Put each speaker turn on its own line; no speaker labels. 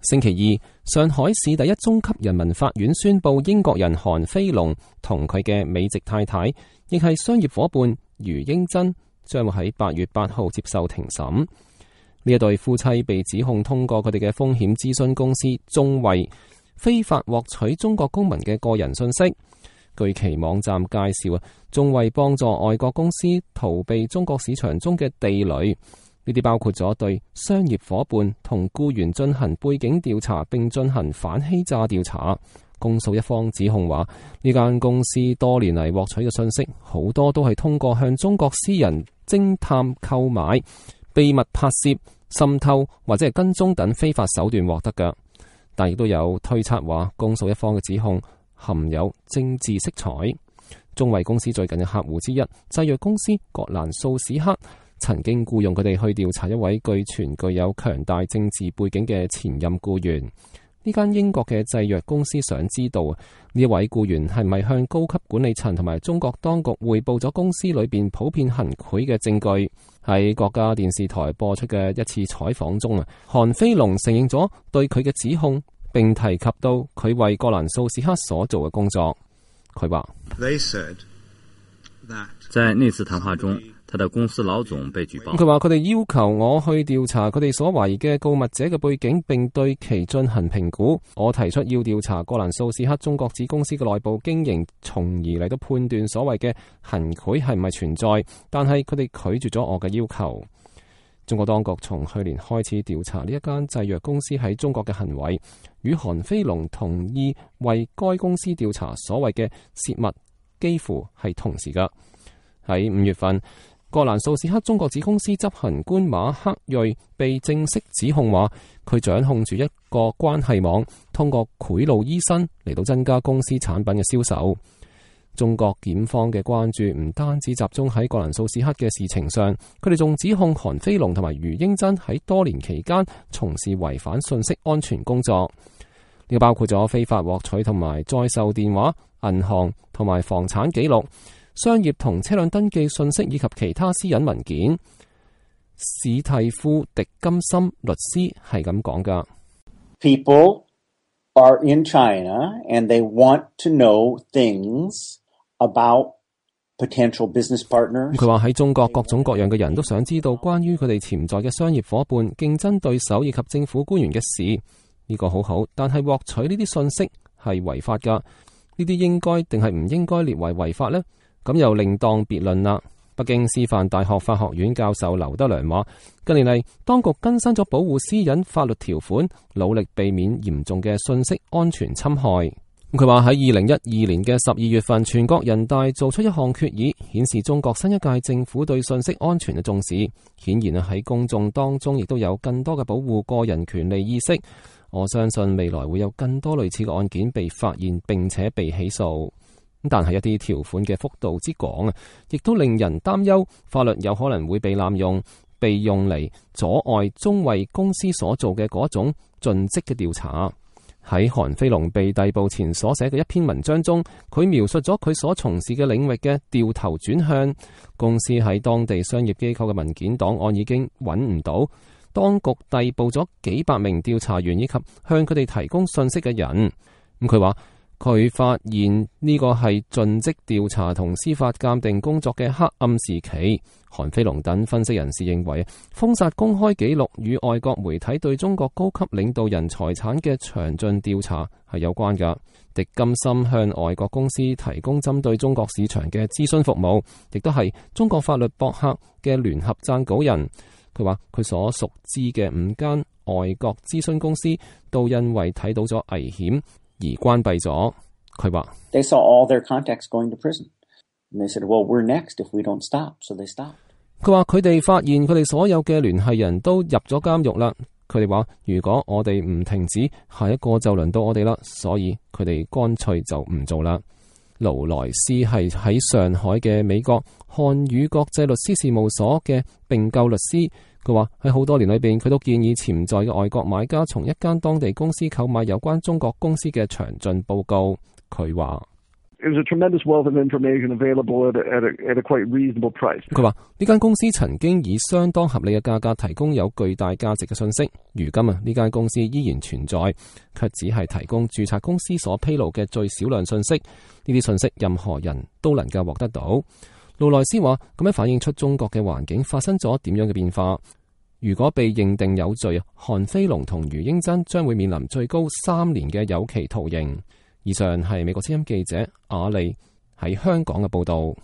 星期二，上海市第一中級人民法院宣布，英國人韓飛龍同佢嘅美籍太太，亦係商業夥伴余英珍，將會喺8月8號接受庭審。呢一對夫妻被指控通過佢哋嘅風險諮詢公司中衛非法獲取中國公民嘅個人信息。據其網站介紹，中衛幫助外國公司逃避中國市場中嘅地雷。呢啲包括咗對商業夥伴同僱員進行背景調查，並進行反欺詐調查。公訴一方指控話，呢間公司多年嚟獲取嘅信息，好多都係通過向中國私人偵探購買、秘密拍攝、滲透或者係跟蹤等非法手段獲得嘅。但亦都有推測話，公訴一方嘅指控含有政治色彩。中衛公司最近嘅客戶之一製藥公司葛蘭素史克，曾經僱用佢哋去調查一位據傳具有強大政治背景嘅前任僱員。呢間英國嘅製藥公司想知道呢位僱員係咪向高級管理層同埋中國當局匯報咗公司裏邊普遍行賄嘅證據。喺國家電視台播出嘅一次採訪中，韓飛龍承認咗對佢嘅指控，並提及到佢為葛蘭素史克所做嘅工作。佢話：
在那次談話中，他的公司老總被舉報。
佢話佢哋要求我去調查佢哋所懷疑嘅告密者嘅背景，並對其進行評估。我提出要調查葛蘭素史克中國子公司嘅內部經營，從而嚟到判斷所謂嘅行賄係唔係存在。但係佢哋拒絕咗我嘅要求。中國當局從去年開始調查呢一間製藥公司喺中國嘅行為，與韓飛龍同意為該公司調查所謂嘅泄密幾乎係同時噶。喺5月份，葛蘭素史克中國子公司執行官馬克瑞被正式指控話，佢掌控住一個關係網，通過賄賂醫生嚟到增加公司產品嘅銷售。中國檢方嘅關注唔單止集中喺葛蘭素史克嘅事情上，佢哋仲指控韓飛龍同埋余英珍喺多年期間從事違反信息安全工作。呢個包括咗非法獲取同埋再售電話、銀行同埋房產記錄、商業同車輛登記信息以及其他私隱文件。史蒂夫·迪金森律師係咁講噶。
People are in China and they want to know things about potential business partners.
佢話喺中國各種各樣嘅人都想知道關於佢哋潛在嘅商業夥伴、競爭對手以及政府官員嘅事。呢個好好，但係獲取呢啲信息係違法噶。呢啲應該定係唔應該列為違法呢？咁又另當別論啦。北京師範大學法學院教授劉德良話，近年嚟當局更新咗保護私隱法律條款，努力避免嚴重嘅信息安全侵害。佢話喺2012年嘅12月份，全國人大做出一項決議，顯示中國新一屆政府對信息安全嘅重視。顯然喺公眾當中亦都有更多嘅保護個人權利意識。我相信未來會有更多類似嘅案件被發現並且被起訴。但係一啲條款嘅幅度之廣亦都令人擔憂，法律有可能會被濫用，被用嚟阻礙中衛公司所做嘅嗰種盡職嘅調查。喺韓飛龍被逮捕前所寫嘅一篇文章中，佢描述咗佢所從事嘅領域嘅掉頭轉向。公司喺當地商業機構嘅文件檔案已經揾唔到，當局逮捕咗幾百名調查員以及向佢哋提供信息嘅人。佢話佢發現呢個係盡職調查同司法鑑定工作嘅黑暗時期。韓飛龍等分析人士認為，封殺公開記錄與外國媒體對中國高級領導人財產嘅詳盡調查係有關㗎。迪金森向外國公司提供針對中國市場嘅諮詢服務，亦都係中國法律博客嘅聯合撰稿人。佢話佢所熟知嘅5間外國諮詢公司都因為睇到咗危險而關閉咗。佢話
They saw all their contacts going to prison. And they said, well, we're next if we don't stop. So they stopped.
佢話佢哋發現佢哋所有嘅聯繫人都入咗監獄啦。佢哋話如果我哋唔停止，下一個就輪到我哋啦。所以佢哋乾脆就唔做啦。勞萊斯係喺上海嘅美國漢語國際律師事務所嘅並購律師。佢話喺好多年裏邊，佢都建議潛在嘅外國買家從一間當地公司購買有關中國公司嘅詳盡報告。佢話
It was a tremendous wealth of information available at a quite reasonable price.
佢話呢間公司曾經以相當合理嘅價格提供有巨大價值嘅信息，如今呢間公司依然存在，卻只係提供註冊公司所披露嘅最少量信息。呢啲信息任何人都能夠獲得到。路內斯話咁樣反映出中國嘅環境發生咗點樣嘅變化。如果被認定有罪，韓飛龍同余英珍將會面臨最高3年嘅有期徒刑。以上係美國之音記者阿利喺香港嘅報導。